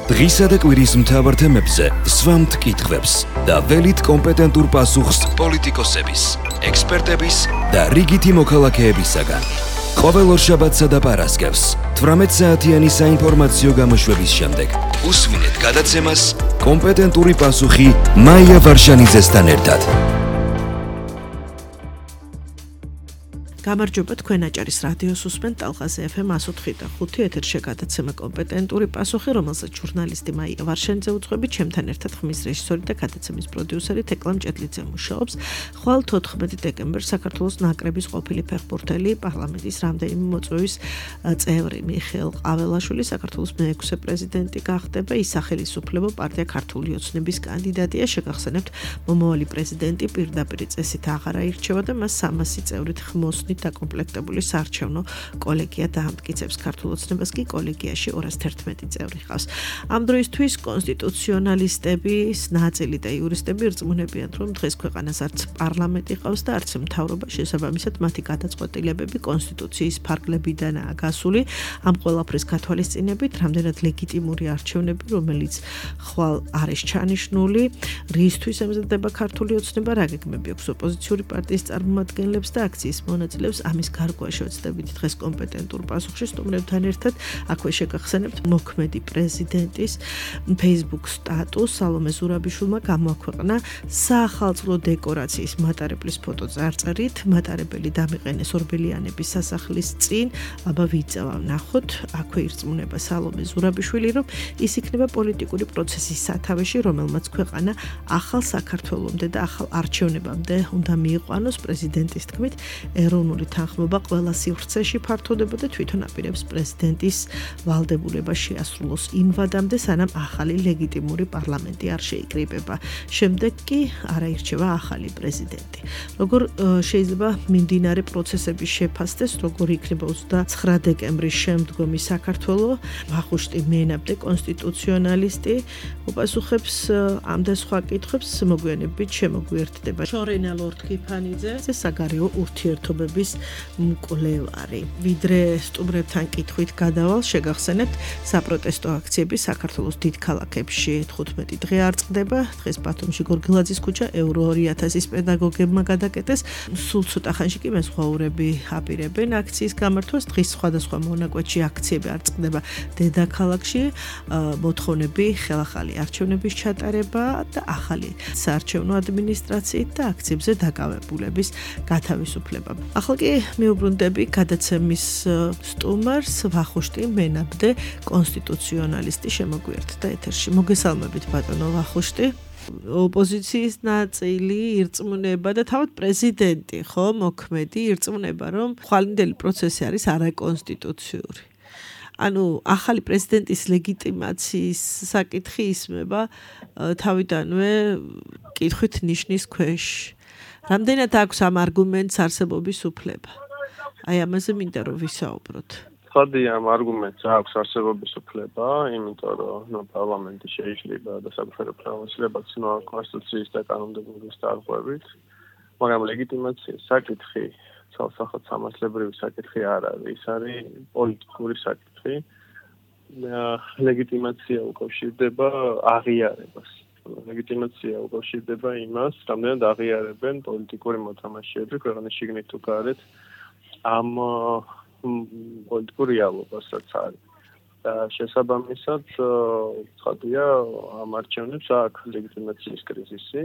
დღისა და კვირის მთავარ თემებზე სვამთ კითხვებს და ველით კომპეტენტურ პასუხს პოლიტიკოსების, ექსპერტების და რიგითი მოქალაქეებისაგან. ყოველ ორშაბათსა და პარასკევს 18 საათიანი საინფორმაციო გამოშვების შემდეგ უსმინეთ გადაცემას კომპეტენტური პასუხი მაია ვარშანიძესთან ერთად. გამარჯობა, თქვენ აჭარის რადიოს უსმენთ ტალღაზე FM 104.5 ეთერში გადაცემა კომპეტენტური პასუხი, რომელსაც ჟურნალისტი მაია ვარშანიძე უძღვებით, ჩემთან ერთად ხმის რეჟისორი და გადაცემის პროდიუსერი თეკლამ ჭედლიძე მუშაობს. ხვალ 14 დეკემბერს საქართველოს ნაკრების ყოფილი ფეხბურთელი, პარლამენტის რამდენიმე მოწვევის წევრი მიხეილ ყაველაშვილი საქართველოს მე-6 პრეზიდენტი გახდება. ის სახელისუფლებო პარტია ქართული ოცნების კანდიდატია. შეგახსენებთ, მომავალი პრეზიდენტი პირდაპირ წესით აღარ აირჩევა და მას 300 წევრით ხმოსნით დაკომპლექტებული საარჩევნო კოლეგია დაამტკიცებს. ქართულ ოცნებას კი კოლეგიაში 211 წევრი ჰყავს. ამ დროისთვის კონსტიტუციონალისტების ნაწილი და იურისტები რწმუნებიან, რომ დღეს ქვეყანას არც პარლამენტი ყავს და არც მთავრობა, შესაბამისად მათი გადაწყვეტილებები კონსტიტუციის ფარგლებიდანაა გასული. ამ ყველაფრის გათვალისწინებით, რამდენად ლეგიტიმური არჩევნები, რომელიც ხვალ არის ჩანიშნული, რისთვის ემზადება ქართული ოცნება, რა გეგმები აქვს ოპოზიციური პარტიის წარმომადგენლებს და აქციის მონაწილეებს, ამის გარკვევა შევეცდებით დღეს კომპეტენტურ პასუხში სტუმრებთან ერთად. აქვე შეგახსენებთ, მოქმედი პრეზიდენტის Facebook სტატუსს სალომე ზურაბიშვილმა გამოაქვეყნა საახალწლო დეკორაციის მატარებლის ფოტო წარწერით. მატარებელი დამიყენეს ორბელიანების სასახლის წინ. აბა ვიწევა ვნახოთ. აქვე ირწმუნება სალომე ზურაბიშვილი, რომ ის იქნება პოლიტიკური პროცესის სათავეში, რომელმაც ქვეყანა ახალ საქართველომდე და ახალ არჩევნებამდე უნდა მიიყვანოს. პრეზიდენტის თქმით, ეროვნული თანხმობა ყველა სივრცეში ფართოვდება და თვითონ აპირებს პრეზიდენტის ვალდებულება შეასრულოს იმ ვადამდე, სანამ ახალი ლეგიტიმური პარლამენტი არ შეიკრიბება. შემდეგ კი არ აირჩევა ახალი პრეზიდენტი. როგორ შეიძლება მიმდინარე პროცესები შეფასდეს, როგორ იქნება 29 დეკემბრის შემდგომი საქართველო, ვახუშტი მენაბდე, კონსტიტუციონალისტი, უპასუხებს ამ და სხვა კითხვებს, მოგვიანებით შემოგვიერთდება შორენა ლორთქიფანიძე, საგარეო ურთიერთობების მკვლევარი. ვიდრე სტუმრებთან კითხვით გადავალ, შეგახსენებთ, საპროტესტო აქციები საქართველოს დიდ ქალაქებში 15 დღე არ წყდება. დღეს ბათუმში გორგილაძის ქუჩა ევრო 2000-ის პედაგოგებმა გადაკეტეს. სულ ცოტა ხანში კი მეზღვაურები აპირებენ აქციის გამართვას. დღის სხვადასხვა მონაკვეთში აქციები არ წყდება დედაქალაქში. მოთხოვნები ხელახალი არჩევნების ჩატარება და ახალი საარჩევნო ადმინისტრაციით და აქციებზე დაკავებულების გათავისუფლება. ახლა კი მიუბრუნდები გადაცემის სტუმარს, ვახუშტი მენაბდე, კონსტიტუციონალისტი შემოგვიერთდა ეთერში. მოგესალმებით ბატონო ვახუშტი. ოპოზიციის ნაწილი ირწმუნება და თავად პრეზიდენტი, ხო, მოქმედი ირწმუნება, რომ ხვალინდელი პროცესი არის არაკონსტიტუციური. ანუ ახალი პრეზიდენტის ლეგიტიმაციის საკითხი ისმება თავიდანვე კითხვით ნიშნის ქვეშ. რამდენად აქვს ამ არგუმენტს არსებობის უფლება? აი ამაზე მინდა რომ ვისაუბროთ. ხადი ამ არგუმენტს აქვს არსებობის უფლება, იმიტომ რომ პარლამენტი შეიძლება და საკუთარი პრინციპებიც კონსტიტუციის და კანონმდებლობის დარღვევით, მაგრამ ლეგიტიმაციის საკითხი ცალსახად სამართლებრივი საკითხი არ არის, ის არის პოლიტიკური საკითხი. ლეგიტიმაცია უკავშირდება აღიარებას. ლეგიტიმაცია უკავშირდება იმას, რამდენად აღიარებენ პოლიტიკური მოთამაშეები ქვეყნის შიგნით თუ გარეთ ამ პოლიტიკურ რეალობასაც არის. და შესაბამისად, ცხადია, ამ არჩევნებს აქვს ლეგიტიმაციის კრიზისი,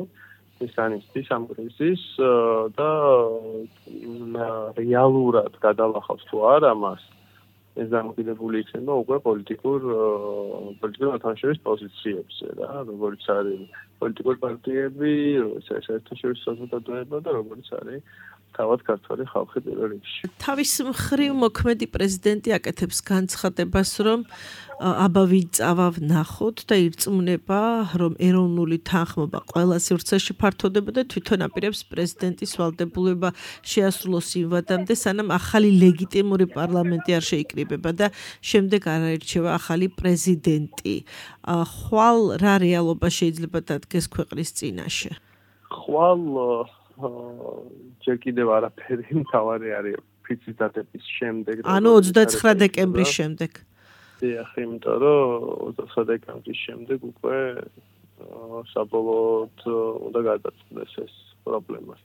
ის ანისტის ამ კრიზისს და რეალურად გადალახავს თუ არა მას, ეს დამოკიდებული იქნება უკვე პოლიტიკური მოთამაშეების პოზიციებზე რა, როგორც არის პოლიტიკური პარტიები, როგორც არის საერთაშორისო საზოგადოება და როგორც არის თავად ქართველი ხალხი პირველ რიგში. თავის მხრივ მოქმედი პრეზიდენტი აკეთებს განცხადებას, რომ აბა ვიწავა ვნახოთ და ირწმუნება, რომ ეროვნული თანხმობა ყველა სივრცეში ფართოვდება და თვითონ აპირებს პრეზიდენტის ვალდებულება შეასრულოს იმ ვადამდე, სანამ ახალი ლეგიტიმური პარლამენტი არ შეიკრიბება და შემდეგ არ აირჩევა ახალი პრეზიდენტი. ხვალ რა რეალობა შეიძლება დადგეს ქვეყნის წინაშე? ხვალ ჯერ კიდევ არაფერი მთავარი არის ფიცის დადების შემდეგ. ანუ 29 დეკემბრის შემდეგ. დიახ, იმიტომ რომ 29 დეკემბრის შემდეგ უკვე საბოლოოდ უნდა გადაწყვეტეს ეს პრობლემა.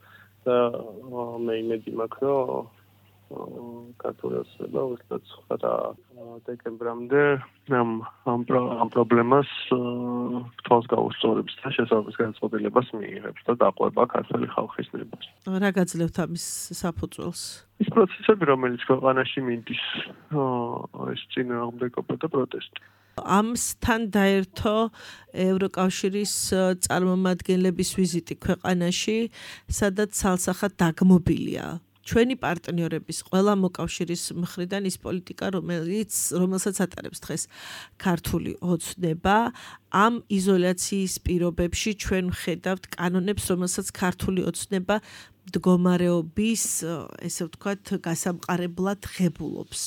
და მე იმედი მაქვს, რომ ქართული ოცნება 29 დეკემბრამდე ამ პრობლემას თვალს გაუსწორებს და შესაბამის განწყობილებას მიიღებს და დაყვება ქართული ხალხის ნებას. რა გაძლევთ ამის საფუძველს? ის პროცესები, რომელიც ქვეყანაში მიდის, ეს წინააღმდეგობა და პროტესტი. ამსთან დაერთო ევროკავშირის წარმომადგენლების ვიზიტი ქვეყანაში, სადაც სალსახად დაგმობილია ჩვენი პარტნიორების ყველა მოკავშირის მხრიდან ის პოლიტიკა, რომელსაც ატარებს დღეს ქართული ოცნება, ამ იზოლაციის პირობებში ჩვენ ვხედავთ კანონებს, რომელსაც ქართული ოცნება მდგომარეობის, ესე ვთქვათ, გასამყარებლად ღებულობს.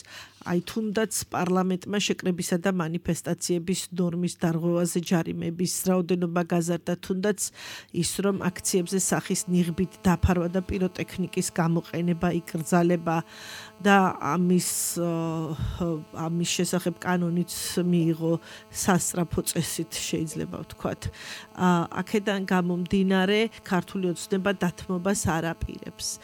აი თუნდაც პარლამენტმა შეკრებისა და მანიფესტაციების ნორმის დარღვევაზე ჯარიმების რაოდენობა გაზარდა, თუნდაც ის რომ აქციებზე სახის ნიღბით დაფარვა და პიროტექნიკის გამოყენება იკრძალება და ამის შესახებ კანონიც მიიღო სასწრაფო წესით შეიძლება ვთქვათ. აქედან გამომდინარე ქართული ოცნება დათმობას არ აპირებს.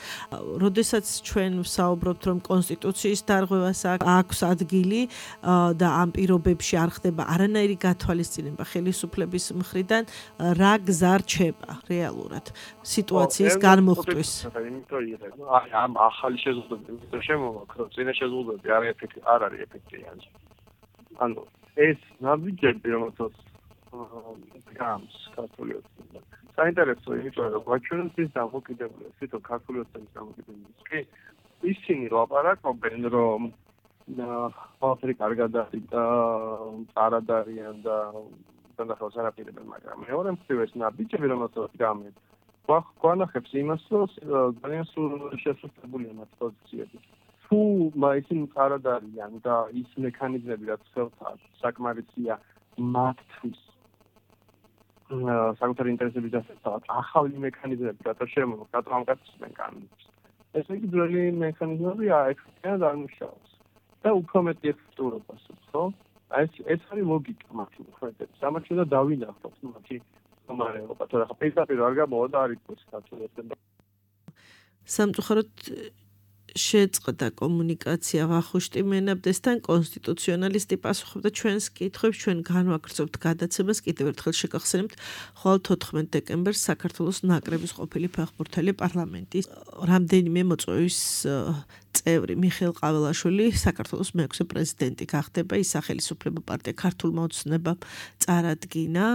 როდესაც ჩვენ ვსაუბრობთ რომ კონსტიტუციის დარღვევას აქვს ადგილი და ამ პირობებში არ ხდება არანაირი გათვალისწინება ხელისუფლების მხრიდან, რა გზა რჩება რეალურად სიტუაციის განმოხტვის. ამ ახალი შეზღუდვები შემოვაქ, რომ წინა შეზღუდვები არ არის ეფექტიანი. ანუ ეს ნაბიჯები, რომელსაც გამს ქართული ოცნება. საინტერესო იმიტომ, რომ გვაჩვენებს ის დამოკიდებულებას, თვითონ ქართული ოცნების დამოკიდებულებას. კი, ისინი ლაპარაკობენ, რომ ყველაფერი კარგად არის და წარად არიან და დანახავს არაპირებენ, მაგრამ მეორე მხრივ ეს ნაბიჯები, რომელსაც გამეთ, გვანახებს იმას, რომ ძალიან შესუსტებულია მათ პოზიციები. თუ ისინი წარად არიან და ის მექანიზმები, რაც ხელთან საკმარისია მათთვის საკუთარი ინტერესების დასაცავად, ახალი მექანიზმები, რატო შემოვაქვს, რატო ამკაცებენ კანონებს. ეს იგი ძველი მექანიზმები ეფექტიანად არ მუშაობს. და უფრო მეტი ეფექტურობას, ხო? ეს არის ლოგიკა მათი მოქმედების. ამათ შეიძლება დავინახოთ მათი მდგომარეობა, თორე ხა პირდაპირ არ გამოვა და არ იყოს ქართული ოცნება. სამწუხაროდ შეწყდა კომუნიკაცია ვახუშტი მენაბდესთან, კონსტიტუციონალისტი პასუხობდა ჩვენს კითხვებს, ჩვენ განვაგრძობთ გადაცემას, კიდევ ერთხელ შეგახსენებთ, ხვალ 14 დეკემბერს საქართველოს ნაკრების ყოფილი ფეხბურთელი პარლამენტის რამდენიმე მოწვევის წევრი მიხეილ ყაველაშვილი საქართველოს მეექვსე პრეზიდენტი გახდება. ის სახელისუფლებო პარტია ქართულმა ოცნებამ წარადგინა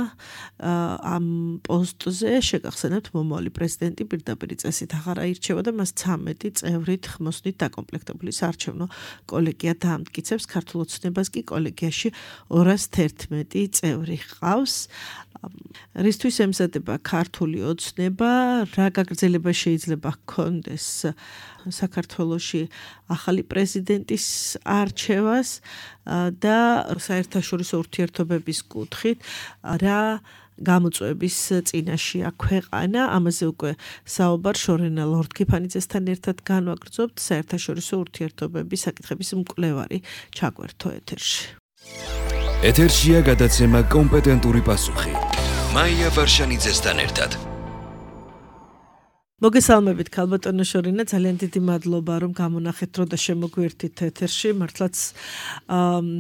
ამ პოსტზე. შეგახსენებთ, მომავალი პრეზიდენტი პირდაპირ წესით აღარ აირჩევა და მას 13 წევრით ხმოსნით დაკომპლექტებული საარჩევნო კოლეგია დაამტკიცებს. ქართულ ოცნებას კი კოლეგიაში 211 წევრი ჰყავს. რისთვის ემზადება ქართული ოცნება, რა გაგრძელება შეიძლება ჰქონდეს საქართველოში ახალი პრეზიდენტის არჩევას და საერთაშორისო ურთიერთობების კუთხით რა გამოწვევების წინაშეა ქვეყანა. ამაზე უკვე საუბარ შორენა ლორდ-კიფანიძესთან ერთად განვაგრძობთ. საერთაშორისო ურთიერთობების საკითხების მკვლევარი ჩაგვერთო ეთერში. ეთერშია გადაცემა კომპეტენტური პასუხი. მაია ვარშანიძესთან ერთად. მოგესალმებით ქალბატონო შორინა, ძალიან დიდი მადლობა რომ გამონახეთ დრო და შემოგვერთით ეთერში. მართლაც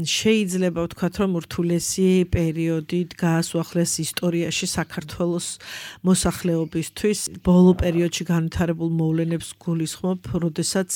შეიძლება ვთქვათ რომ ურთულესი პერიოდი გაასუახლეს ისტორიაში საქართველოს მოსახლეობისთვის. ბოლო პერიოდში განვითარებულ მოვლენებს გულისხმობ, როდესაც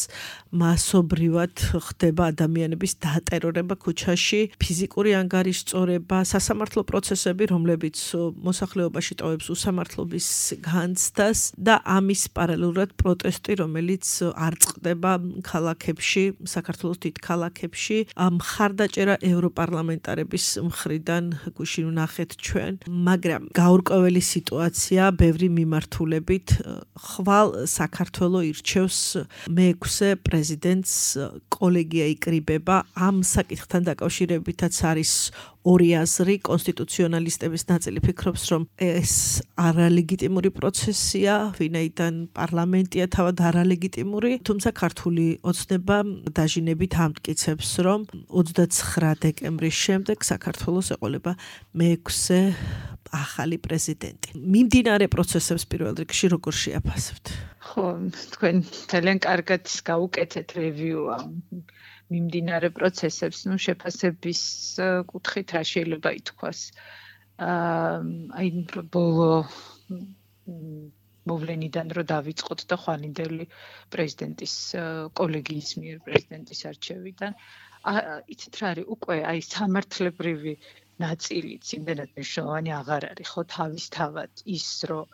მასობრივად ხდება ადამიანების დატერორება ქუჩაში, ფიზიკური ანგარიშწორება, სასამართლო პროცესები, რომლებიც მოსახლეობაში ტოვებს უსამართლობის განცდას და ამის პარალელურად პროტესტი, რომელიც არ წყდება ქალაქებში, საქართველოს დიდ ქალაქებში, მხარდაჭერა ევროპარლამენტარების მხრიდან გუშინ ვნახეთ ჩვენ, მაგრამ გაურკვეველი სიტუაცია ბევრი მიმართულებით. ხვალ საქართველო ირჩევს მეექვსე პრეზიდენტს, კოლეგია იკრიბება. ამ საკითხთან დაკავშირებითაც არის ორი აზრი, კონსტიტუციონალისტების ნაწილი ფიქრობს, რომ ეს არალეგიტიმური პროცესია, ვინაიდან პარლამენტია თავად არალეგიტიმური, თუმცა ქართული ოცნება დაჟინებით ამტკიცებს, რომ 29 დეკემბრის შემდეგ საქართველოს ეყოლება მე-6 ახალი პრეზიდენტი. მიმდინარე პროცესებს პირველ რიგში როგორ შეაფასებთ? ხო, თქვენ ძალიან კარგად გაუკეთეთ რევიუ მიმდინარე პროცესებს, შეფასების კუთხით რა შეიძლება ითქვას. აი ბოლო მოვლენიდან რო დავიწყოთ და ხვალინდელი პრეზიდენტის კოლეგიის მიერ პრეზიდენტის არჩევიდან, იცით რა არის, უკვე აი სამართლებრივი ნაწილიც იმდენად მნიშვნელოვანი აღარ არის, ხო, თავისთავად ის, რომ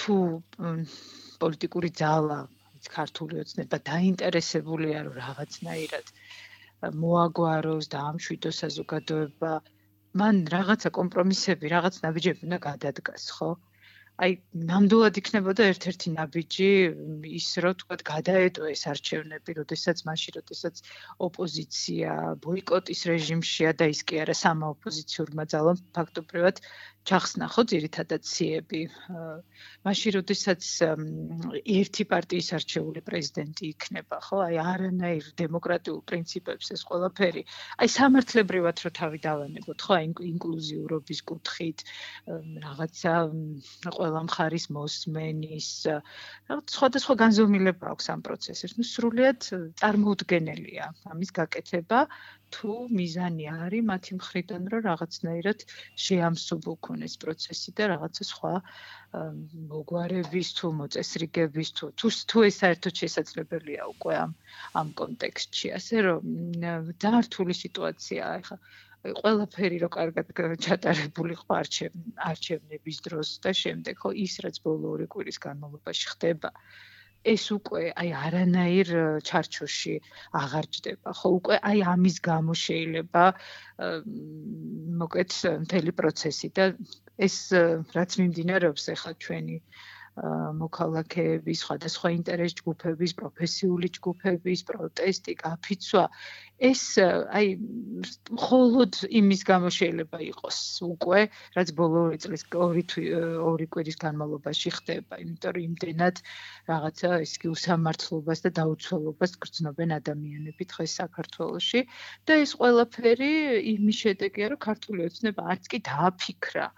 თუ პოლიტიკური ძალა, ქართული ოცნება დაინტერესებულია, რომ რაღაცნაირად მოაგვაროს და ამშვიდოს საზოგადოება, მან რაღაცა კომპრომისები, რაღაც ნაბიჯები უნდა გადადგას, ხო? აი, ნამდვილად იქნებოდა ერთ-ერთი ნაბიჯი ის, რომ თქვათ გადაეტო ეს არჩევნები, როდესაც ოპოზიცია ბოიკოტის რეჟიმშია და ის კი არა სამაოპოზიციურმა ძალამ ფაქტობრივად ჩახსნა ხო ძირითადად ციები. მაშინ როდესაც ერთი პარტიის არჩეული პრეზიდენტი იქნება, ხო, აი არანაირ დემოკრატიულ პრინციპებს ეს ყველაფერი, აი სამართლებრივად რო თავი დავანებოთ, ხო, აი ინკლუზიურობის კუთხით, რაღაცა ყველა მხარის მოსმენის, რაღაც სხვადასხვა განზომილება აქვს ამ პროცესებს. სრულიად წარმოუდგენელია ამის გაკეთება, თუ მიზანი არის მათი მხრიდან, რომ რაღაცნაირად შეამსუბუქონ ეს პროცესი და რაღაცა სხვა მოგვარების თუ მოწესრიგების თუ ეს საერთოდ შესაძლებელია უკვე ამ კონტექსტში, ასე რომ ძალიან რთული სიტუაციაა ახლა. ყველაფერი რო კარგად ჩატარებული ხო არჩევნების დროს და შემდეგ ხო ის რაც ბოლო 2 კვირის განმავლობაში ხდება ეს უკვე აი არანაირ ჩარჩოში აღარ ჯდება ხო უკვე აი ამის გამო შეიძლება მოკეთ მთელი პროცესი და ეს რაც მიმდინარეობს ახლა ჩვენი მოქალაქეების, სხვადასხვა ინტერეს ჯგუფების, პროფესიული ჯგუფების პროტესტი, გაფიცვა, ეს აი მხოლოდ იმის გამო შეიძლება იყოს უკვე, რაც ბოლო წლის 2 კვირის განმავლობაში ხდება, იმიტომ რომ იმდენად რაღაცა ის კი უსამართლობას და დაუცველობას გრძნობენ ადამიანები დღეს საქართველოში და ეს ყველაფერი იმის შედეგია, რომ ქართული ოცნება არც კი დააფიქრა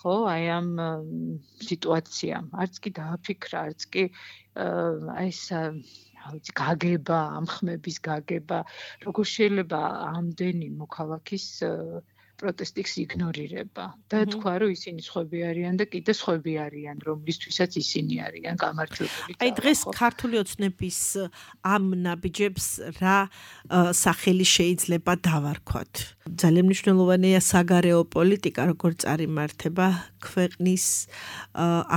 ხო, აი ამ სიტუაციამ, არც კი დააფიქრა, არც კი აი ეს გაგება, ამ ხმების გაგება, როგორ შეიძლება ამდენი მოქალაქის პროტესტის იგნორირება და თქვა, რომ ისინი სხვები არიან და კიდე სხვები არიან, რომლისთვისაც ისინი არიან გამარჯვებული. აი დღეს ქართული ოცნების ამ ნაბიჯებს რა სახელი შეიძლება დავარქვათ? ძალიან მნიშვნელოვანია საგარეო პოლიტიკა, როგორ წარიმართება ქვეყნის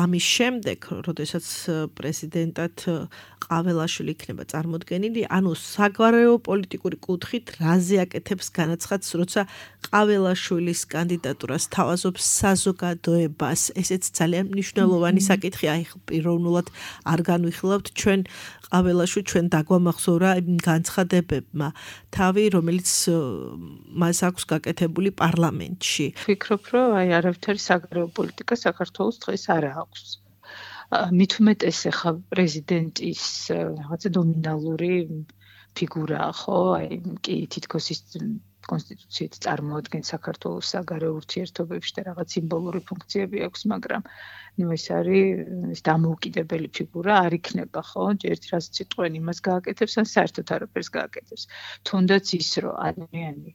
ამის შემდეგ, როდესაც პრეზიდენტად ყაველაშვილი იქნება წარმოდგენილი, ანუ საგარეო პოლიტიკური კუთხით რაზე აკეთებს განაცხადს, როცა ყაველაშვილის კანდიდატურას თავაზობს საზოგადოებას. ესეც ძალიან მნიშვნელოვანი საკითხია, აი პიროვნულად არ განვიხილავთ ჩვენ ყაველაშვილი ჩვენ დაგვამახსოვრა განცხადებებმა თავი, რომელიც მას აქვს გაკეთებული პარლამენტში. ვფიქრობ, რომ აი არავითარი საგარეო პოლიტიკა საქართველოს დღეს არ აქვს. მით უმეტეს ახლა პრეზიდენტის რაღაცა დომინალური ფიგურაა, ხო? აი კი თითქოს ის კონსტიტუციით წარმოადგენს საქართველოს საგარეო ურთიერთობებში და რაღაც სიმბოლური ფუნქციები აქვს, მაგრამ ეს არის დამოუკიდებელი ფიგურა არ იქნება, ხო? ერთი რაც სიტყვენ იმას გააკეთებს, ან საერთოდ არაფერს გააკეთებს. თუნდაც ის, რომ ადამიანი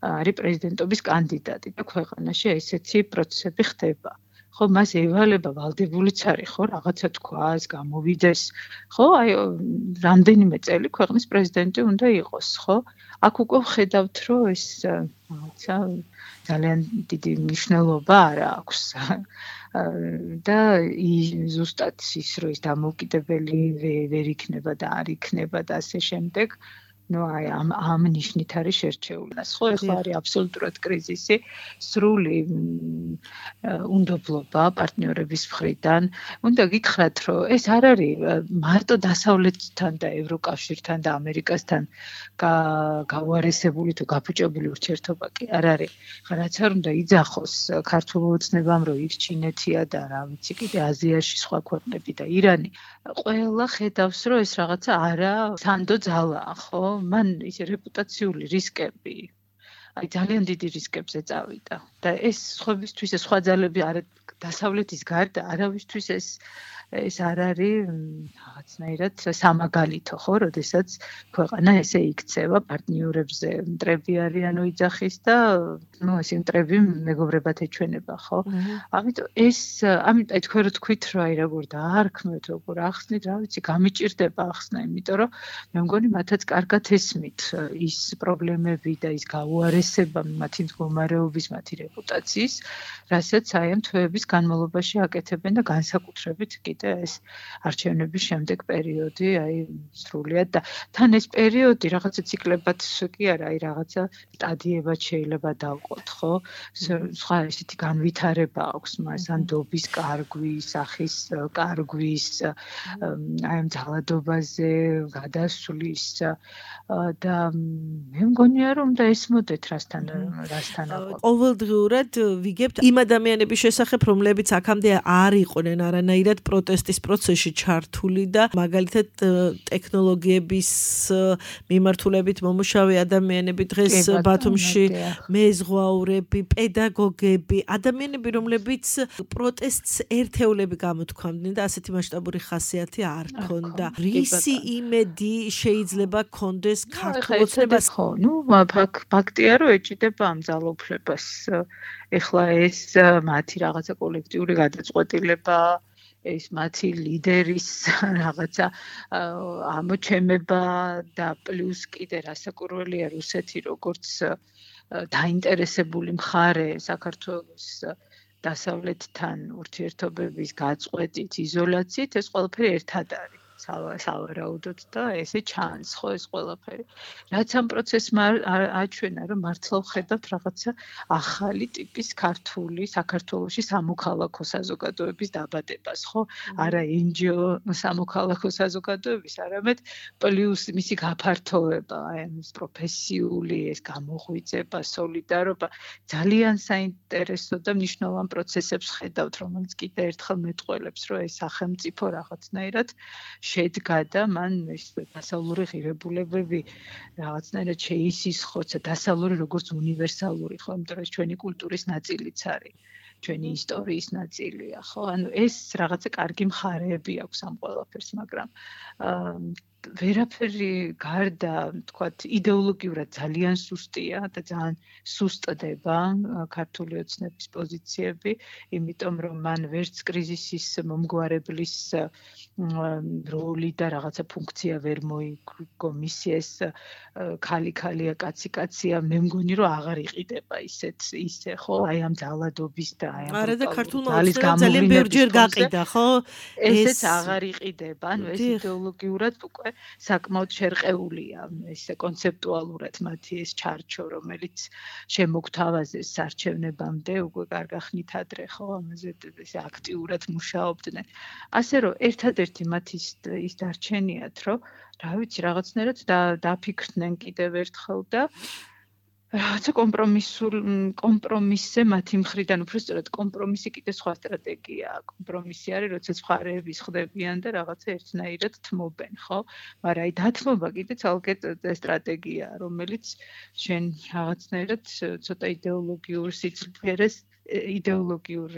არის პრეზიდენტობის კანდიდატი და ქვეყანაში ესეთი პროცესები ხდება. ხო, მას ევალება ვალდებულიც არის, ხო, რაღაცა თქვას, გამოვიდეს, ხო, აი რამდენიმე წელი ქვეყნის პრეზიდენტი უნდა იყოს, ხო? აქ უკვე ვხედავთ, რომ ეს რაღაცა ძალიან დიდი მნიშვნელობა არ აქვს. და ზუსტად ის, რომ ის დამოუკიდებელი ვერ იქნება და არ იქნება და ასე შემდეგ, ნუ აი ამ ნიშნით არის შერჩეული. ხო, ეხლა არის აბსოლუტურად კრიზისი, სრული უნდობლობა პარტნიორების მხრიდან. უნდა გითხრათ, რომ ეს არ არის მარტო დასავლეთთან და ევროკავშირთან და ამერიკასთან გაუარესებული თუ გაფუჭებული ურთიერთობა კი არ არის. რაც არ უნდა იძახოს ქართულ ოცნებამ, რომ იქ ჩინეთია და რა ვიცი, კიდე აზიაში სხვა ქვეყნები და ირანი. ყველა ხედავს, რომ ეს რაღაცა არა სანდო ძალაა, ხო? მან ისე რეპუტაციული რისკები, აი ძალიან დიდი რისკებზე წავიდა და ეს სხვებისთვის სხვა ძალები არა დასავლეთის გარდა არავისთვის ეს არ არის რაღაცნაირად სამაგალითო, ხო, როდესაც ქვეყანა ესე იქცევა პარტნიორებზე მტრები არიანო იძახის და ნუ ეს მტრები მეგობრებად ეჩვენება, ხო? ამიტომ აი თქვენ რო თქვით, რომ აი როგორ დაარქმევთ, როგორ ახსნით, რა ვიცი, გამიჭირდება ახსნა, იმიტომ რომ მე მგონი მათაც კარგად ესმით ის პრობლემები და ის გაუარესება მათი მდგომარეობის, მათი რეპუტაციის, რასაც აი ამ თვეების განმავლობაში აკეთებენ და განსაკუთრებით ეს არჩევნების შემდეგ პერიოდი, აი სრულიად და თან ეს პერიოდი რაღაცა ციკლებად კი არა, აი რაღაცა სტადიებად შეიძლება დავყოთ, ხო? სხვა ესეთი განვითარება აქვს მას, ან დობის კარგვის, სახის კარგვის, აი ამ ძალადობაზე გადასვლის და მე მგონია რომ უნდა ესმოდეთ რასთან. ყოველდღიურად ვიგებთ იმ ადამიანების შესახებ, რომლებიც აქამდე არ იყვნენ არანაირად პროტესტის პროცესში ჩართული და მაგალითად ტექნოლოგიების მიმართულებით მომუშავე ადამიანები დღეს ბათუმში მეზღვაურები, პედაგოგები, ადამიანები, რომლებიც პროტესტს ერთეულები გამოთქვამდნენ და ასეთი მასშტაბური ხასიათი არ ჰქონდა. რისი იმედი შეიძლება ჰქონდეს ქართულ ოცნებას? ხო, ნუ ფაქტია, რომ ეჭიდება ამ ძალაუფლებას. ეხლა ეს მათი რაღაცა კოლექტიური გადაწყვეტილება, ეს მათი ლიდერის რაღაცა ამოჩემება და პლუს კიდე რასაკურველია რუსეთი როგორც დაინტერესებული მხარე საქართველოს დასავლეთთან ურთიერთობების გაწყვეტით, იზოლაციით, ეს ყველაფერი ერთად არის. სავარაუდოდ და ესე ჩანს, ხო, ეს ყველაფერი. რაც ამ პროცესმა აჩვენა, რომ მართლა ვხედავთ რაღაცა ახალი ტიპის ქართული საქართველოში სამოქალაქო საზოგადოების დაბადებას, ხო? არა NGO სამოქალაქო საზოგადოების, არამედ პლუს მისი გაფართოვება, აი ეს პროფესიული, ეს გამოღვიძება, სოლიდარობა, ძალიან საინტერესო და მნიშვნელოვან პროცესებს ხედავთ, რომელიც კიდე ერთხელ მეტყველებს, რომ ეს სახელმწიფო რაღაცნაირად შედგა და მან ეს დასავლური ღირებულებები რაღაცნაირად შეისისხოცა, დასავლური როგორც უნივერსალური, ხო, იმიტომ რომ ეს ჩვენი კულტურის ნაწილიც არის, ჩვენი ისტორიის ნაწილია, ხო? ანუ ეს რაღაცა კარგი მხარეები აქვს ამ ყველაფერს, მაგრამ ვერაფერი გარდა, თქვათ, იდეოლოგიურად ძალიან სუსტია და ძალიან სუსტდება ქართული ოცნების პოზიციები, იმიტომ რომ მან ვერც კრიზისის მომგვარებლის როლი და რაღაცა ფუნქცია ვერ მოიგო, მისი ეს ქალი-ქალია, კაცი-კაცია, მე მგონი რომ აღარ იყიდება ისე, ხო? აი ამ ძალადობის და აი ამ არა და ქართულმა ოცნებამ ძალიან ბევრჯერ გაყიდა, ხო? ესეც აღარ იყიდება, ანუ ეს იდეოლოგიურად უკვე საკმაოდ შერყეულია, ესე კონცეპტუალურად მათი ეს ჩარჩო, რომელიც შემოგთავაზეს არჩევნებამდე, უკვე კარგახნით ადრე, ხო, ამაზე ესე აქტიურად მუშაობდნენ. ასე რომ ერთადერთი მათი ის დარჩენიათ, რომ რა ვიცი, რაღაცნაირად დაფიქრდნენ კიდევ ერთხელ და რაღაცა კომპრომისზე მათი მხრიდან, უფრო სწორად კომპრომისი კიდე სხვა სტრატეგიაა. კომპრომისი არის, როდესაც მხარეები ხდებიან და რაღაცა ერთნაირად თმობენ, ხო? მაგრამ აი დათმობა კიდე ცალკე სტრატეგიაა, რომელიც შენ რაღაცნაირად ცოტა იდეოლოგიურ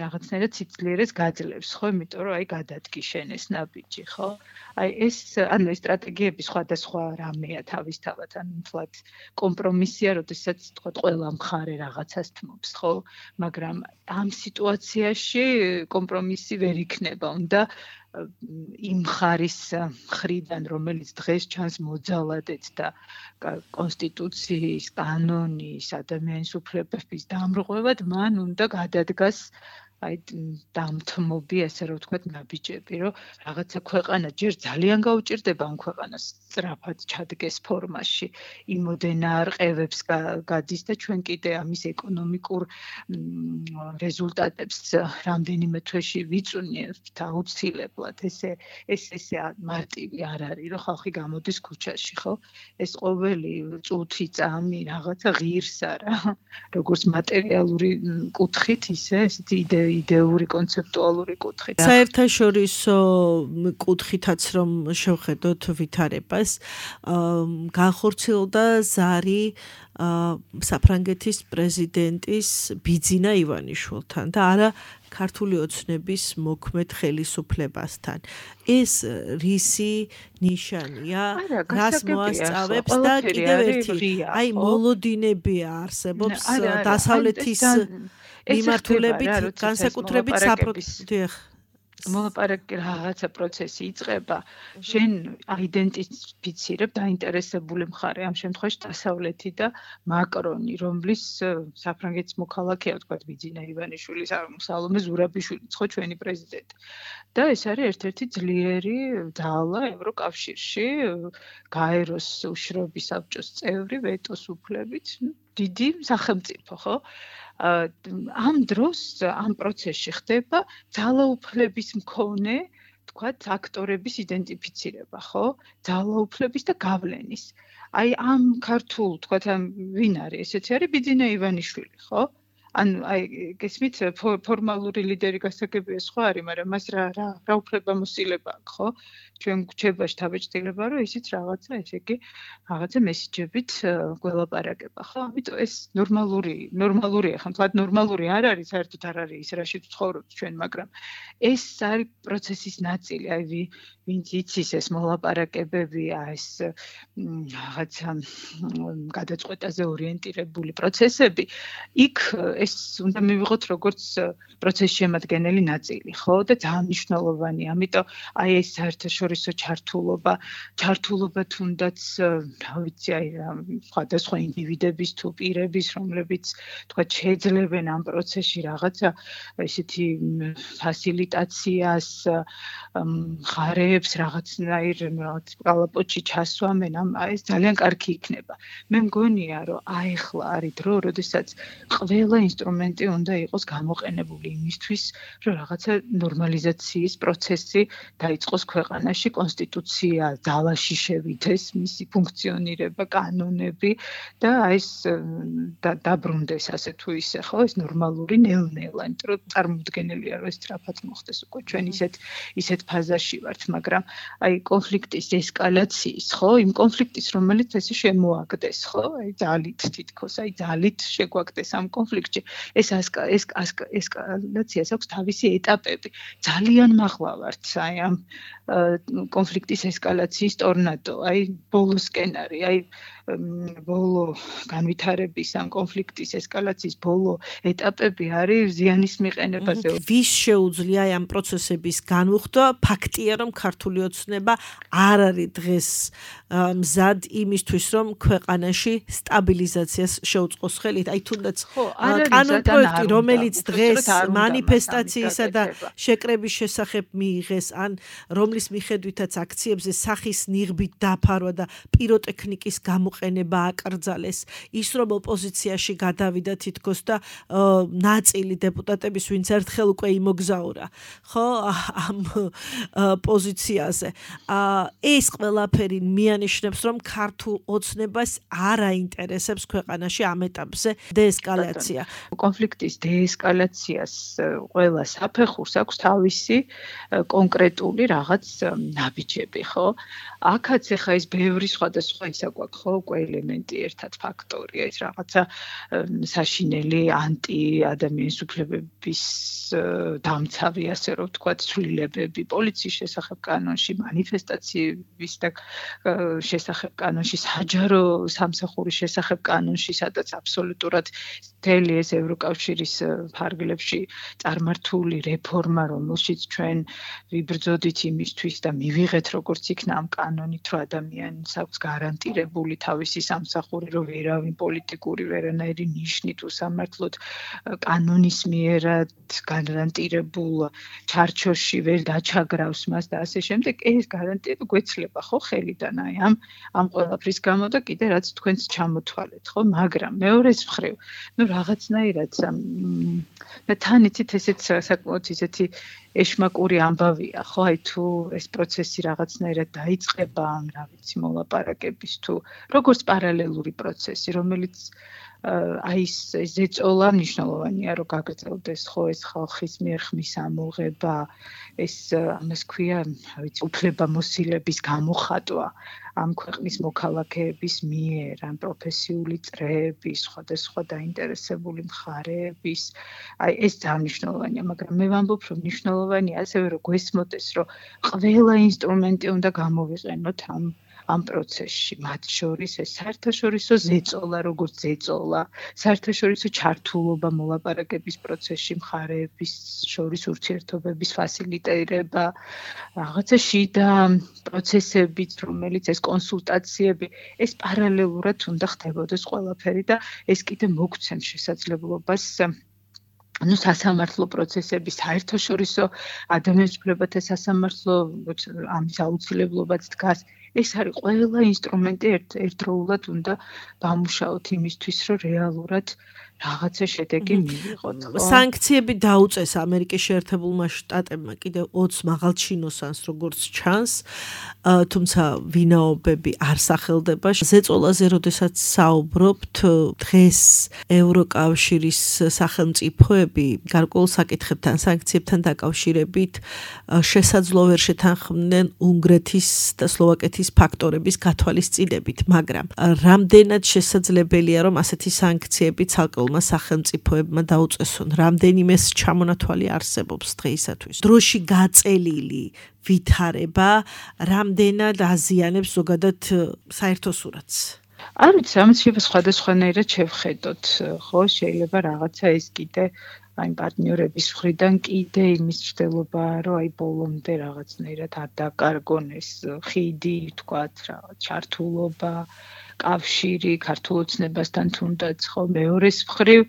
რაღაცნაირად სიძლიერეს გაძლევს, ხო? იმიტომ რომ აი გადადგი შენ ეს ნაბიჯი, ხო? აი ეს ანუ ეს სტრატეგიები სხვადასხვა რამეა თავისთავად, ანუ თლად კომპრომისია, როდესაც თქვა ყველა მხარე რაღაცას თმობს, ხო? მაგრამ ამ სიტუაციაში კომპრომისი ვერ იქნება, უნდა იმ მხარის მხრიდან, რომელიც დღეს ჩანს მოძალადეთ და კონსტიტუციის, კანონის, ადამიანის უფლებების დამრღვევად, მან უნდა გადადგას აი დამთმობი, ასე რომ ვთქვათ, ნაბიჯები, რომ რაღაცა ქვეყანა ჯერ ძალიან გაუჭირდება ამ ქვეყანას სწრაფად ჩადგეს ფორმაში, იმოდენა არყევებს გადის და ჩვენ კიდე ამის ეკონომიკურ რეზულტატებს რამდენიმე თვეში ვიწვნიებთ აუცილებლად. ესე მარტივი არ არის, რომ ხალხი გამოდის ქუჩაში, ხო? ეს ყოველი წუთი წამი რაღაცა ღირს არა, როგორც მატერიალური კუთხით, ისე ესეთი იდეური კონცეპტუალური კუთხით. საერთაშორისო კუთხითაც რომ შევხედოთ ვითარებას, განხორციელდა ზარი საფრანგეთის პრეზიდენტის ბიძინა ივანიშვილთან და არა ქართული ოცნების მოქმედ ხელისუფლებასთან. ეს რისი ნიშანია, რას მოასწავებს და კიდევ ერთი, აი მოლოდინებია არსებობს დასავლეთის მიმართულებით, განსაკუთრებით მოლაპარაკე რაღაცა პროცესი იწყება, შენ აიდენტიფიცირებ დაინტერესებული მხარე, ამ შემთხვევაში დასავლეთი და მაკრონი, რომლის საფრანგეთის მოქალაქეა, ვთქვათ, ბიძინა ივანიშვილი, სალომე ზურაბიშვილი, ხო ჩვენი პრეზიდენტი. და ეს არის ერთ-ერთი ძლიერი ძალა ევროკავშირში, გაეროს უშრობის საბჭოს წევრი, ვეტოს უფლებით, დიდი სახელმწიფო, ხო? ამ დროს ამ პროცესში ხდება ძალაუფლების მქონე, თქვათ, აქტორების იდენტიფიცირება, ხო? ძალაუფლების და გავლენის. აი ამ ქართულ, თქვათ, ვინ არის? ესეთი არის ბიძინა ივანიშვილი, ხო? ანუ აი გესმით ფორმალური ლიდერი გასაგებია სხვა არის, მაგრამ მას რა უფლება მოსილება აქვს, ხო? ჩვენ გვჩებაში თავეჭდილება, რომ ისიც რაღაცა, ესე იგი, რაღაცა მესიჯებით გველაპარაკება, ხო? ამიტომ ეს ნორმალურია, ხომ თქვა ნორმალური არ არის, საერთოდ არ არის ის, რაშიც ვცხოვრობთ ჩვენ, მაგრამ ეს არის პროცესის ნაწილი, აი ვინც იცის ეს მოლაპარაკებებია, ეს რაღაცა გადაწყვეტაზე ორიენტირებული პროცესები, იქ ეს უნდა მივიღოთ როგორც პროცესის შემადგენელი ნაწილი, ხო? და ძალიან მნიშვნელოვანია. ამიტომ აი ეს საერთაშორისო ჩართულობა თუნდაც, რა ვიცი, აი სხვადასხვა ინდივიდების თუ პირების, რომლებიც თქვა შეძლებენ ამ პროცესში რაღაცა ესეთი ფასილიტაციას, მხარეებს რაღაცნაირ კალაპოტში ჩასვამენ, ეს ძალიან კარგი იქნება. მე მგონია, რომ აიხლა არის დრო, როდესაც ყველა ინსტრუმენტი უნდა იყოს გამოყენებული იმისთვის, რომ რაღაცა ნორმალიზაციის პროცესი დაიწყოს ქვეყანაში, კონსტიტუცია ძალაში შევიდეს, მისი ფუნქციონირება, კანონები და ეს დაბრუნდეს ასე თუ ისე, ხო, ეს ნორმალური ნელ-ნელა, იმიტომ რომ წარმოუდგენელია, რომ ეს სწრაფად მოხდეს უკვე ჩვენ ისეთ ფაზაში ვართ, მაგრამ აი კონფლიქტის ესკალაციის, ხო, იმ კონფლიქტის, რომელიც ესე შემოაგდეს, ხო, აი ძალით შეგვაგდეს ამ კონფლიქტში, ეს ესკალაციას აქვს თავისი ეტაპები. ძალიან მაღლა ვართ აი ამ კონფლიქტის ესკალაციის ტორნადო, აი ბოლოსკენ არის, აი ბოლო განვითარების ამ კონფლიქტის ესკალაციის ბოლო ეტაპები არის ზიანის მიყენებაზე. ვის შეუძლია ამ პროცესების განუხდა? ფაქტია, რომ ქართული ოცნება არ არის დღეს მზად იმისთვის, რომ ქვეყანაში სტაბილიზაციას შეუწყოს ხელით. აი თუნდაც კანონპროექტი, რომელიც დღეს მანიფესტაციისა და შეკრების შესახებ მიიღეს, ან რომლის მიხედვითაც აქციებზე სახის ნიღბით დაფარვა და პიროტექნიკის გამოყენება აკრძალეს, ის რომ ოპოზიციაში გადავიდა თითქოს და ნაწილი დეპუტატების, ვინც ერთხელ უკვე იმოგზაურა, ხო, ამ პოზიციაზე. ეს ყველაფერი მიანიშნებს, რომ ქართულ ოცნებას არ აინტერესებს ქვეყანაში ამ ეტაპზე დეესკალაცია. კონფლიქტის დეესკალაციას ყველა საფეხურს აქვს თავისი კონკრეტული რაღაც ნაბიჯები, ხო? აქაც ახლა ეს ბევრი სხვადასხვა ისა გვაქვს, ხო, უკვე ელემენტი ერთად ფაქტორია, ეს რაღაცა საშინელი ანტი-ადამიანის უფლებების დამცავი, ასე რომ ვთქვათ, ცვლილებები პოლიციის შესახებ კანონში, მანიფესტაციების და შესახებ კანონში, საჯარო სამსახურის შესახებ კანონში, სადაც აბსოლუტურად მთელი ეს ევროკავშირის ფარგლებში წარმართული რეფორმა, რომელშიც ჩვენ ვიბრძოდით იმისთვის და მივიღეთ როგორც იქნა ამ კანონით, რომ ადამიანს აქვს გარანტირებული თავისი სამსახური, რომ ვერავინ პოლიტიკური ვერანაირი ნიშნით უსამართლოდ კანონის მიერად გარანტირებულ ჩარჩოში ვერ დაჩაგრავს მას და ასე შემდეგ, ეს გარანტია გვეცლება ხო ხელიდან აი ამ ყველაფრის გამო და კიდე რაც თქვენს ჩამოთვალეთ, ხო, მაგრამ მეორეს მხრივ, რაღაცნაირად და თან იცით ესეც საკმაოდ ისეთი ეშმაკური ამბავია, ხო, აი თუ ეს პროცესი რაღაცნაირად დაიწყება, რა ვიცი, მოლაპარაკების თუ როგორც პარალელური პროცესი, რომელიც აი ეს ზეწოლა მნიშვნელოვანია, რომ გაგრძელდეს ხო ეს ხალხის მიერ ხმის ამოღება, ეს ამას ქვია, რა ვიცი, უფლებამოსილების გამოხატვა ამ ქვეყნის მოქალაქეების მიერ, ამ პროფესიული წრეების, სხვადასხვა დაინტერესებული მხარეების, აი ეს ძალიან მნიშვნელოვანია, მაგრამ მე ვამბობ, რომ მნიშვნელოვანია ასევე რომ გვესმოდეს, რომ ყველა ინსტრუმენტი უნდა გამოვიყენოთ ამ პროცესში, მათ შორის ეს საერთაშორისო ზეწოლა, როგორც ზეწოლა, საერთაშორისო ჩართულობა მოლაპარაკების პროცესში, მხარეების შორის ურთიერთობების ფასილიტირება, რაღაცა შიდა პროცესებიც, რომელიც ეს კონსულტაციები, ეს პარალელურად უნდა ხდებოდეს ყველაფერი და ეს კიდე მოგცემს შესაძლებლობას სასამართლო პროცესების საერთაშორისო ადამიანის უფლებათა სასამართლო ამის აუცილებლობაც დგას. ეს არის ყველა ინსტრუმენტი ერთდროულად უნდა დამუშაოთ იმისთვის, რომ რეალურად რაღაცა შედეგი მივიღოთ. სანქციები დაუწეს ამერიკის შეერთებულმა შტატებმა კიდევ 20 მაღალჩინოსანს როგორც ჩანს, თუმცა ვინაობები არ სახელდება. ზეწოლაზე როდესაც საუბრობთ, დღეს ევროკავშირის სახელმწიფოები გარკვეულ საკითხებთან, სანქციებთან დაკავშირებით შესაძლო ვერ შეთანხმდნენ უნგრეთის და სლოვაკეთის ფაქტორების გათვალისწინებით, მაგრამ რამდენად შესაძლებელია, რომ ასეთი სანქციები ცალკეულ სახელმწიფოებმა დაუწესონ, რამდენიმე ჩამონათვალი არსებობს დღეისათვის. დროში გაწელილი ვითარება რამდენად აზიანებს ზოგადად საერთო სურათს. არ ვიცი, ამას სხვადასხვანაირად შევხედოთ, ხო, შეიძლება რაღაცა ეს კიდე აი პარტნიორების მხრიდან კიდე იმის მცდელობაა, რომ აი ბოლომდე რაღაცნაირად არ დაკარგონ ეს ხიდი, თქვათ, რაღაც ჩართულობა, კავშირი ქართულ ოცნებასთან თუნდაც, ხო, მეორეს მხრივ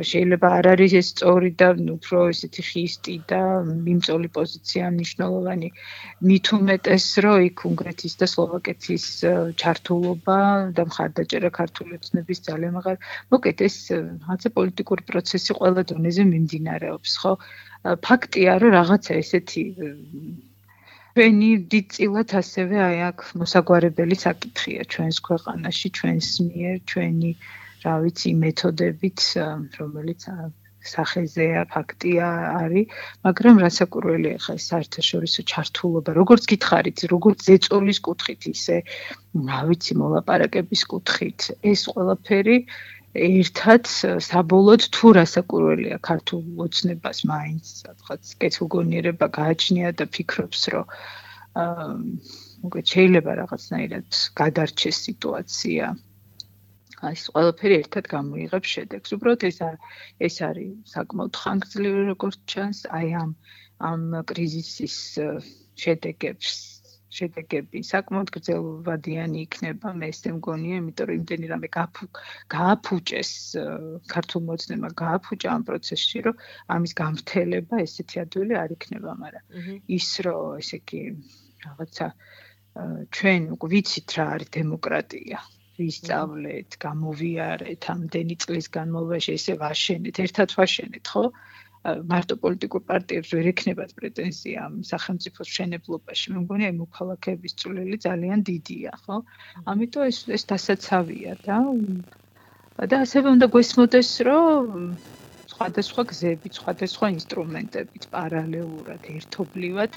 შეიძლება არ არის ეს სწორი და უფრო ესეთი ხისტი და მიმწოლი პოზიცია მნიშვნელოვანი. მით უმეტეს, რომ იქ უნგრეთის და სლოვაკეთის ჩართულობა და მხარდაჭერა ქართული ოცნების ძალიან მაღალი. მოკეთ ეს რაღაცა პოლიტიკური პროცესი ყველა დონეზე მიმდინარეობს, ხო? ფაქტია, რომ რაღაცა ესეთი ჩვენი დიდწილად ასევე აი აქ მოსაგვარებელი საკითხია ჩვენს ქვეყანაში, ჩვენს მიერ, ჩვენი რა ვიცი მეთოდებით, რომელიც სახეზეა, ფაქტია არის, მაგრამ რასაკურველია ხა ეს საერთაშორისო ჩართულობა, როგორც გითხარით, როგორც ზეწოლის კუთხით, ისე რა ვიცი მოლაპარაკების კუთხით, ეს ყველაფერი ერთად საბოლოოდ თუ რასაკურველია ქართულ ოცნებას მაინც სადღაც კეთილგონიერება გააჩნია და ფიქრობს, რომ შეიძლება რაღაცნაირად გადარჩეს სიტუაცია. ეს ყველაფერი ერთად გამოიღებს შედეგს. უბრალოდ ეს არის საკმაოდ ხანგრძლივი როგორც ჩანს, აი ამ კრიზისის შედეგები საკმაოდ გრძელვადიანი იქნება, მე ესე მგონია, იმიტომ რომ იმდენი რამე გააფუჭეს ქართულ მოძნებმა გააფუჭა ამ პროცესში, რომ ამის გამრთელება ესეთი ადვილი არ იქნება, მაგრამ ის რომ ესე იგი რაღაცა ჩვენ ვიცით რა არის დემოკრატია. ვისწავლეთ, გამოვიარეთ, ამდენი წლის განმავლობაში ესე ვაშენეთ, ერთად ვაშენეთ, ხო? მარტო პოლიტიკურ პარტიებს ვერ ექნებათ პრეტენზია ამ სახელმწიფოს მშენებლობაში. მე მგონია იმ მოქალაქეების წვლილი ძალიან დიდია, ხო? ამიტომ ეს დასაცავია და ასევე უნდა გვესმოდეს, რომ სხვადასხვა გზებით, სხვადასხვა ინსტრუმენტებით პარალელურად, ერთობლივად,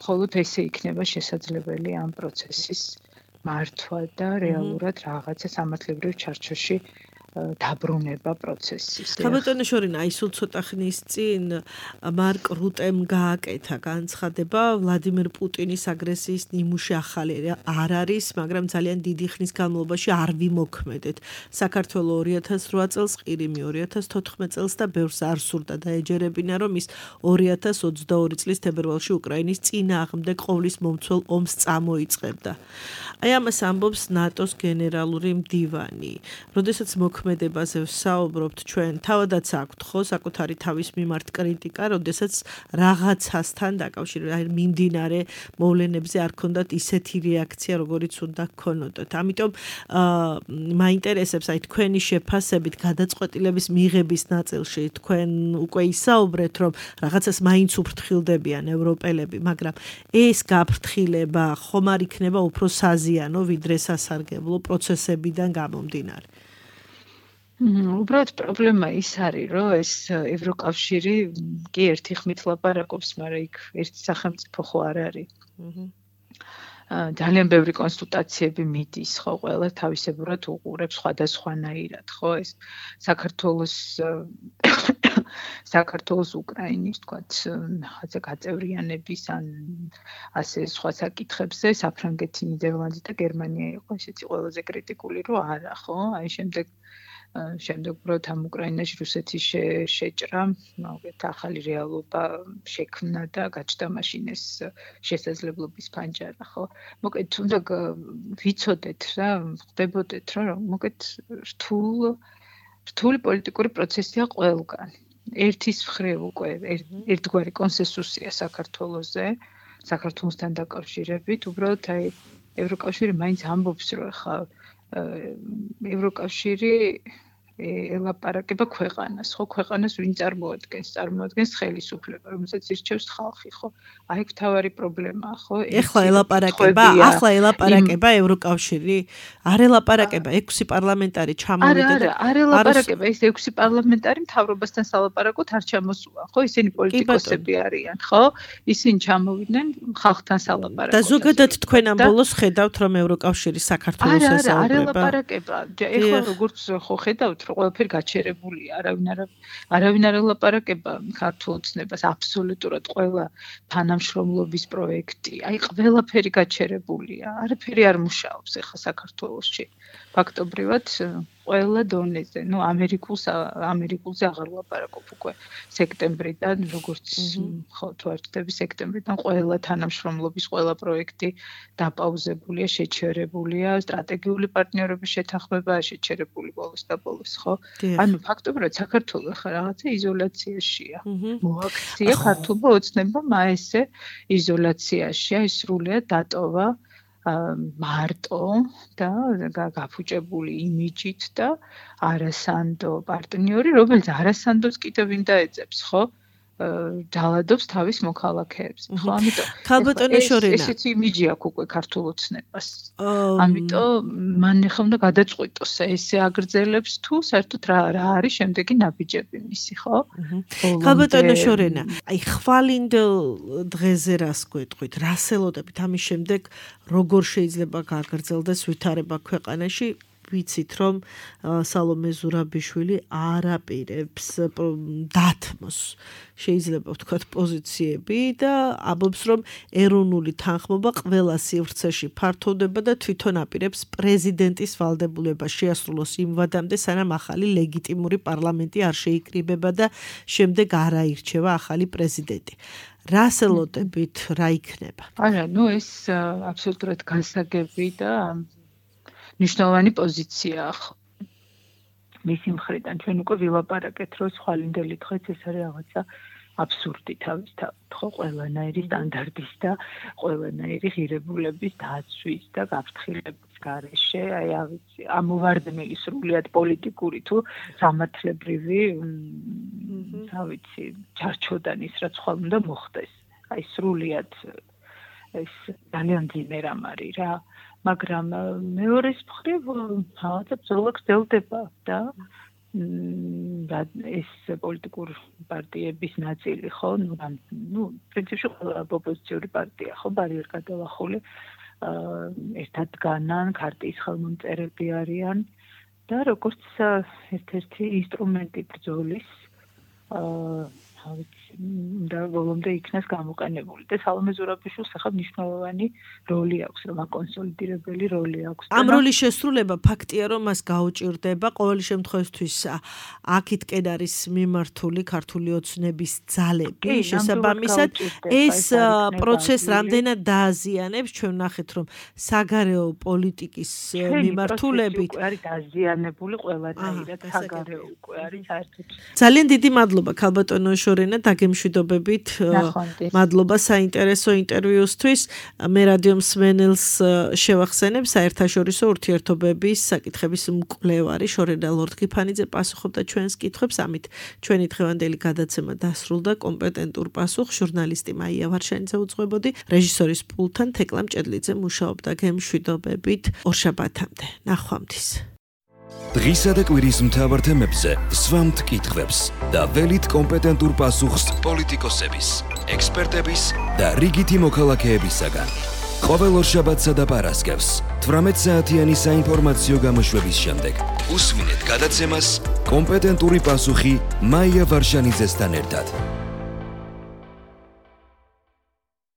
მხოლოდ ესე იქნება შესაძლებელი ამ პროცესის მართვა და რეალურად რაღაცა სამართლებრივ ჩარჩოში დაბრუნება პროცესის. ხაბატონო შორინა, აი სულ ცოტა ხნის წინ მარკ რუტემ გააკეთა განცხადება ვლადიმერ პუტინის აგრესიის ნიმუში ახალი არ არის, მაგრამ ძალიან დიდი ხნის განმავლობაში არ ვიმოქმედეთ. საქართველოს 2008 წელს ყირიმი, 2014 წელს და ბევრს არ სურდა და ეჯერებინა, რომ ის 2022 წლის თებერვალში უკრაინის წინააღმდეგ ყოვლის მომცველ ომს წამოიწყებდა. აი ამას ამბობს ნატოს გენერალური მდივანი. როდესაც მოქმედებაზე საუბრობთ ჩვენ, თავადაც აქვთ ხო საკუთარი თავის მიმართ კრიტიკა, როდესაც რაღაცასთან დაკავშირებით მიმდინარე მოვლენებზე არ ქონდათ ისეთი რეაქცია, როგორიც უნდა გქონოდათ. ამიტომ მაინტერესებს აი თქვენი შეფასებით გადაწყვეტილების მიღების ნაწილში თქვენ უკვე ისაუბრეთ, რომ რაღაცას მაინც უფრთხილდებიან ევროპელები, მაგრამ ეს გაფრთხილება ხომ არ იქნება უფრო საზიანო, ვიდრე სასარგებლო პროცესებიდან გამომდინარე? უბრალოდ პრობლემა ის არის, რომ ეს ევროკავშირი კი ერთი ხმით ლაპარაკობს, მაგრამ იქ ერთი სახელმწიფო ხო არ არის. ძალიან ბევრი კონსულტაციები მიდის, ხო, ყველა თავისებურად უყურებს სხვადასხვანაირად, ხო, ეს საქართველოს უკრაინის, თქვათ, რაღაცა გაწევრიანების ან ასე სხვა საკითხებზე საფრანგეთი, ნიდერლანდი და გერმანია იყო ესეთი ყველაზე კრიტიკული, რომ არა, ხო, აი შემდეგ უბრალოდ ამ უკრაინაში რუსეთის შეჭრა, მოგეთ ახალი რეალობა შექმნა და გაჩნდა მაშინ ეს შესაძლებლობის ფანჯარა, ხო? მოგეთ თუნდაც ვიცოდეთ რა, ხდებოდეთ რომ მოგეთ რთული პოლიტიკური პროცესია ყველგან. ერთის მხრივ უკვე ერთგვარი კონსენსუსია საქართველოსთან დაკავშირებით, უბრალოდ აი ევროკავშირი მაინც ამბობს, რომ ხა ევროკავშირი ელაპარაკება ქვეყანას, ხო, ქვეყანას ვინ წარმოადგენს ხელისუფლება, რომელსაც ირჩევს ხალხი, ხო? აი მთავარი პრობლემაა, ხო? ახლა ელაპარაკება ევროკავშირი? არ ელაპარაკება 6 პარლამენტარი ჩამოვიდა. არ ელაპარაკება, ეს 6 პარლამენტარი მთავრობასთან სალაპარაკოდ არ ჩამოსულა, ხო? ისინი პოლიტიკოსები არიან, ხო? ისინი ჩამოვიდნენ ხალხთან სალაპარაკოდ. და ზოგადად თქვენ ამ ბოლოს ხედავთ, რომ ევროკავშირი საქართველოს ესაუბრება? არ ელაპარაკება. ეხლა როგორც ხო ხედავთ, რომ ყველაფერი გაჩერებულია, არავინ არ ელაპარაკება ქართულ ოცნებას, აბსოლუტურად ყველა თანამშრომლობის პროექტი, აი ყველაფერი გაჩერებულია, არაფერი არ მუშაობს ეხლა საქართველოში. ფაქტობრივად ყველა დონეზე, ნუ ამერიკულზე აღარ ვლაპარაკობ უკვე სექტემბრიდან, როგორც ხო თუ არ ვწდები სექტემბრიდან ყველა თანამშრომლობის ყველა პროექტი დაპაუზებულია, შეჩერებულია, სტრატეგიული პარტნიორობის შეთანხმებაა შეჩერებული ბოლოს და ბოლოს, ხო? ანუ ფაქტობრივად საქართველო ხა რაღაცა იზოლაციაშია. მოაქცია ქართულმა ოცნებამ ესე იზოლაციაშია, ის სრულიად დატოვა მარტო და გაფუჭებული იმიჯით და არასანდო პარტნიორი, რომელიც არასანდოს კიდევ ვინ დაეძებს, ხო? ჯალადობს თავის მოქალაქეებს, ხო? ამიტომ ესეც იმიჯი აქვს უკვე ქართულ ოცნებას. ამიტომ მან ახლა უნდა გადაწყვიტოს, ესე აგრძელებს თუ საერთოდ რა არის შემდეგი ნაბიჯები მისი, ხო? ხალბატონო შორენა, აი ხვალინდელ დღეზე რას გვეტყვით, რას ელოდებით ამის შემდეგ როგორ შეიძლება გაგრძელდეს ვითარება ქვეყანაში? ვიცით, რომ სალომე ზურაბიშვილი არ აპირებს დათმოს, შეიძლება ვთქვათ, პოზიციები და ამბობს, რომ ეროვნული თანხმობა ყველა სივრცეში ფართოვდება და თვითონ აპირებს პრეზიდენტის ვალდებულება შეასრულოს იმ ვადამდე, სანამ ახალი ლეგიტიმური პარლამენტი არ შეიკრიბება და შემდეგ არ აირჩევა ახალი პრეზიდენტი. რას ელოდებით, რა იქნება? არა, ნუ ეს აბსოლუტურად განსაგები და ნიშნავანი პოზიციაა. მისი მხრიდან ჩვენ უკვე ვილაპარაკეთ, რომ ხვალინდელი დღეც ეს არის რაღაცა აბსურდი თავისთავად, ხო, ყველანაირი სტანდარტის და ყველანაირი ღირებულების დაცვის და გაფრთხილების გარეშე, აი ავიცი, ამოვარდნილი სრულიად პოლიტიკური თუ სამართლებრივი, ავიცი, ჩარჩოდან ის რაც ხვალ უნდა მოხდეს. აი სრულიად ეს ძალიან ძიმე რამ არის რა. მაგრამ მეორის მხრივ რაღაცა ბრძოლა გრძელდება და ეს პოლიტიკური პარტიების ნაწილი, ხო, ნუ პრინციპში ყველა ოპოზიციური პარტია, ხო, ბარიერ გადალახული ერთად დგანან, ქარტიის ხელმომწერები არიან და როგორც ერთ-ერთი ინსტრუმენტი ბრძოლის და ბოლომდე იქნას გამოყენებული და სალომე ზურაბიშვილს ახლა მნიშვნელოვანი როლი აქვს, რომ აკონსოლიდირებელი როლი აქვს. ამ როლის შესრულება ფაქტია, რომ მას გაუჭირდება ყოველი შემთხვევისთვის აქითკენ არის მიმართული ქართული ოცნების ძალები, შესაბამისად ეს პროცესს რამდენად დააზიანებს, ჩვენ ვნახეთ, რომ საგარეო პოლიტიკის მიმართულებით არის დაზიანებული ყველანაირად საგარეო უკვე არის საერთოდ. ძალიან დიდი მადლობა ქალბატონო შორენა დაგემშვიდობებით. მადლობა საინტერესო ინტერვიუსთვის. მე რადიო მსმენელს შევახსენებ საერთაშორისო ურთიერთობების საკითხების მკვლევარი შორენა ლორთქიფანიძე პასუხობდა ჩვენს კითხვებს. ამით ჩვენი დღევანდელი გადაცემა დასრულდა. კომპეტენტურ პასუხს ჟურნალისტი მაია ვარშანიძე უძღვებოდი. რეჟისორის პულტთან თეკლა მჭედლიძე მუშაობდა. გემშვიდობებით. ორშაბათამდე. ნახვამდის. დღისა და კვირის მთავარ თემებზე სვამთ კითხვებს და ველით კომპეტენტურ პასუხს პოლიტიკოსების, ექსპერტების და რიგითი მოქალაქეებისაგან. ყოველ ორშაბათსა და პარასკევს 18 საათიანი საინფორმაციო გამოშვების შემდეგ უსმინეთ გადაცემას კომპეტენტური პასუხი მაია ვარშანიძესთან ერთად.